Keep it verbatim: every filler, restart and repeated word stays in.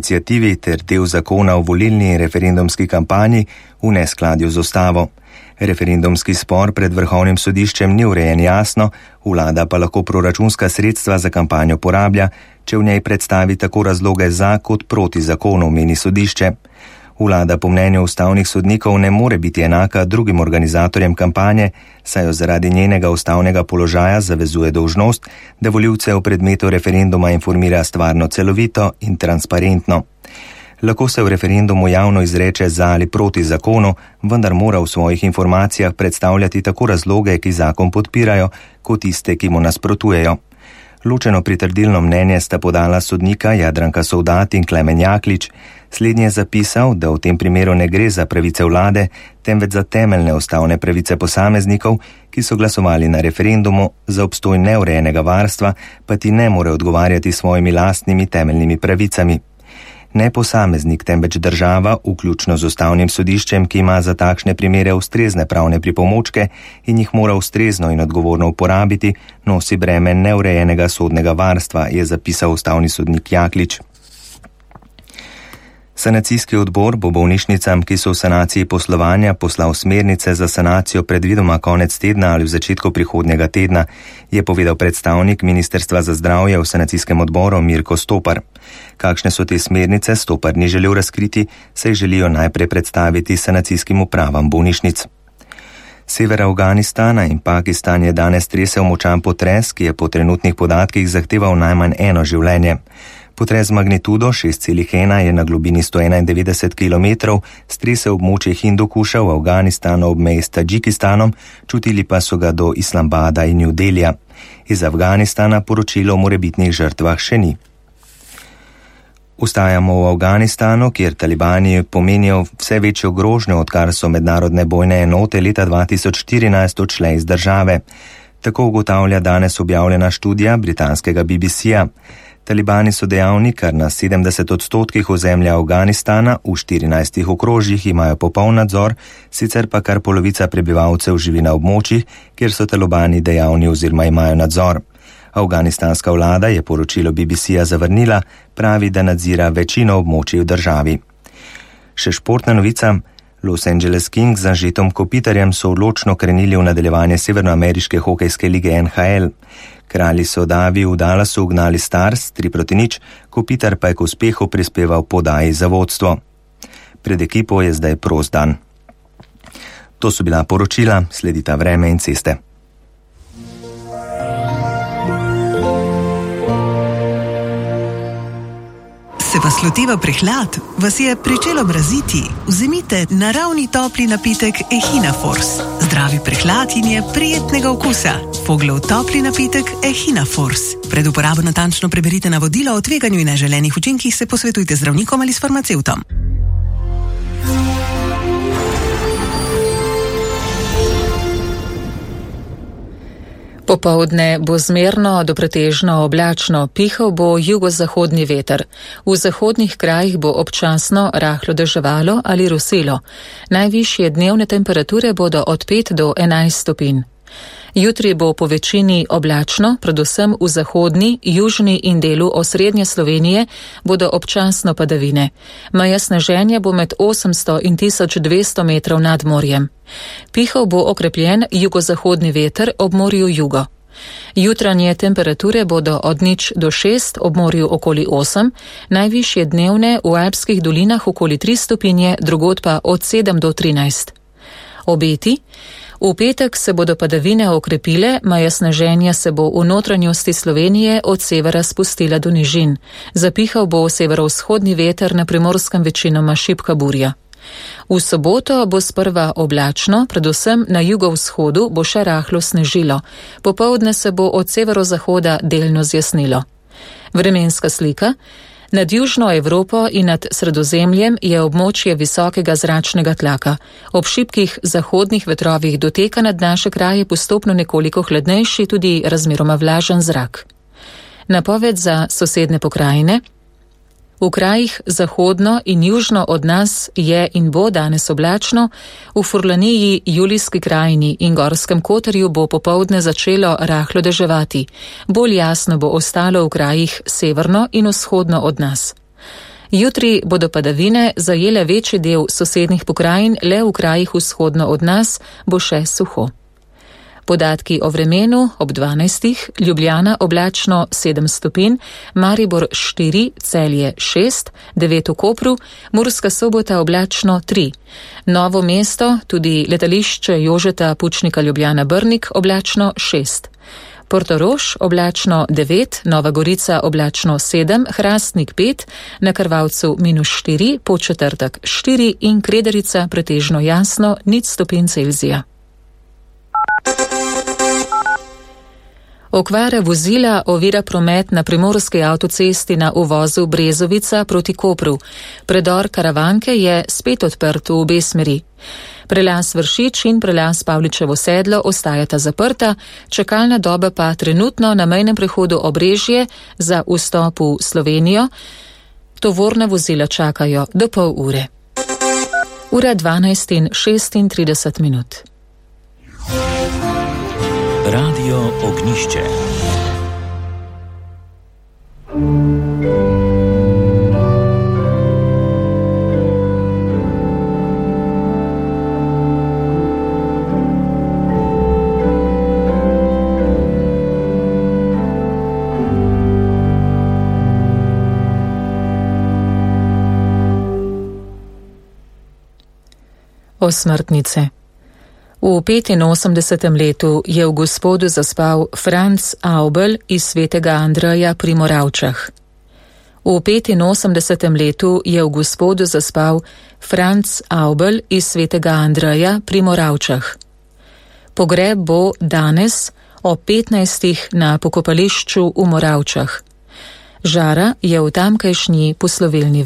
Iniciativi ter del zakona o volilni in referendumski kampanji v neskladju z ustavo. Referendumski spor pred Vrhovnim sodiščem ni urejen jasno, vlada pa lahko proračunska sredstva za kampanjo porablja, če v njej predstavi tako razloge za kot proti zakonu, meni sodišče. Vlada po mnenju ustavnih sodnikov ne more biti enaka drugim organizatorjem kampanje, saj jo zaradi njenega ustavnega položaja zavezuje dolžnost, da volivce o predmetu referenduma informira stvarno celovito in transparentno. Lahko se v referendumu javno izreče za ali proti zakonu, vendar mora v svojih informacijah predstavljati tako razloge, ki zakon podpirajo, kot tiste, ki mu nasprotujejo. Ločeno pritrdilno mnenje sta podala sodnika Jadranka Sovdat in Klemen Jaklič. Slednji je zapisal, da v tem primeru ne gre za pravice vlade, temveč za temeljne ustavne pravice posameznikov, ki so glasovali na referendumu, za obstoj neurejenega varstva pa ti ne more odgovarjati svojimi lastnimi temeljnimi pravicami. Ne posameznik, temveč država, vključno z ustavnim sodiščem, ki ima za takšne primere ustrezne pravne pripomočke in jih mora ustrezno in odgovorno uporabiti, nosi breme neurejenega sodnega varstva, je zapisal ustavni sodnik Jaklič. Sanacijski odbor bo bolnišnicam, ki so v sanaciji poslovanja, poslal smernice za sanacijo predvidoma konec tedna ali v začetku prihodnjega tedna, je povedal predstavnik Ministrstva za zdravje v sanacijskem odboru Mirko Stopar. Kakšne so te smernice, Stopar ni želel razkriti, saj želijo najprej predstaviti sanacijskim upravam bolnišnic. Sever Afganistana in Pakistan je danes tresel močan potres, ki je po trenutnih podatkih zahteval najmanj eno življenje. Potres z magnitudo šest celih ena je na globini sto enaindevetdeset kilometrov stresel območje Hindukuša v Afganistanu ob meji s Tadžikistanom, čutili pa so ga do Islamabada in New Delhija. Iz Afganistana poročilo o morebitnih žrtvah še ni. Ostajamo v Afganistanu, kjer talibani pomenijo vse večjo grožnjo, odkar so mednarodne bojne enote leta dva tisoč štirinajst odšle iz države. Tako ugotavlja danes objavljena študija britanskega B B C-ja. Talibani so dejavni kar na sedemdeset odstotkih ozemlja Afganistana, v štirinajstih okrožjih imajo popoln nadzor, sicer pa kar polovica prebivalcev živi na območjih, kjer so talibani dejavni oziroma imajo nadzor. Afganistanska vlada je poročilo B B C-ja zavrnila, pravi, da nadzira večino območij v državi. Še športna novica. Los Angeles Kings z Anžetom Kopitarjem so odločno krenili v nadaljevanje severnoameriške hokejske lige N H L. Kralji so Davi v Dallasu ugnali Stars tri proti nič, Kopitar pa je k uspehu prispeval podaji za vodstvo. Pred ekipo je zdaj prost dan. To so bila poročila, sledita vreme in ceste. Se vas loteva prehlad? Vas je pričelo mraziti? Vzemite naravni topli napitek Echina Force. Zdravi prehlad in je prijetnega okusa. Foglov topli napitek Echina Force. Pred uporabo natančno preberite navodila o tveganju in neželenih učinkih, se posvetujte z zdravnikom ali s farmacevtom. Popoldne bo zmerno do pretežno oblačno, pihal bo jugozahodni veter. V zahodnih krajih bo občasno rahlo deževalo ali rosilo. Najvišje dnevne temperature bodo od pet do enajst stopinj. Jutri bo po večini oblačno, predvsem v zahodni, južni in delu osrednje Slovenije bodo občasno padavine. Meja sneženja bo med osemsto in tisoč dvesto metrov nad morjem. Pihal bo okrepljen jugozahodni veter ob morju jugo. Jutranje temperature bodo od nič do šest, ob morju okoli osem, najvišje dnevne v alpskih dolinah okoli tri stopinje, drugod pa od sedem do trinajst. Obeti. V petek se bodo padavine okrepile, meja sneženja se bo v notranjosti Slovenije od severa spustila do nižin. Zapihal bo severovzhodni veter, na Primorskem večinoma šibka burja. V soboto bo sprva oblačno, predvsem na jugovzhodu bo še rahlo snežilo. Popoldne se bo od severozahoda delno zjasnilo. Vremenska slika. Nad južno Evropo in nad Sredozemljem je območje visokega zračnega tlaka. Ob šibkih zahodnih vetrovih doteka nad naše kraje postopno nekoliko hladnejši, tudi razmeroma vlažen zrak. Napoved za sosedne pokrajine. V krajih zahodno in južno od nas je in bo danes oblačno, v Furlaniji, Julijski krajini in Gorskem Kotarju bo popoldne začelo rahlo deževati. Bolj jasno bo ostalo v krajih severno in vzhodno od nas. Jutri bodo padavine zajele večji del sosednjih pokrajin, le v krajih vzhodno od nas bo še suho. Podatki o vremenu ob dvanajstih, Ljubljana oblačno sedem stopinj, Maribor štiri, Celje šest, devet v Kopru, Murska Sobota oblačno tri, Novo mesto, tudi letališče Jožeta Pučnika Ljubljana Brnik oblačno šest, Portorož oblačno devet, Nova Gorica oblačno sedem, Hrastnik pet, na Krvavcu minus štiri, Podčetrtek štiri in Kredarica pretežno jasno nič stopinj Celzija. Okvara vozila ovira promet na primorski avtocesti na uvozu Brezovica proti Kopru. Predor Karavanke je spet odprt v obe smeri. Prelaz Vršič in prelaz Pavličevo sedlo ostajata zaprta, čakalna doba pa trenutno na mejnem prehodu Obrežje za vstop v Slovenijo. Tovorna vozila čakajo do pol ure. Ura dvanajst in šestintrideset minut. Radio Ognišče. Osmrtnice. V petinosemdesetem letu je v Gospodu zaspal Franc Avbelj iz Svetega Andreja pri Moravčah. V petinosemdesetem letu je v Gospodu zaspal Franc Avbelj iz Svetega Andreja pri Moravčah. Pogreb bo danes o petnajstih na pokopališču v Moravčah. Žara je v tamkajšnji poslovilni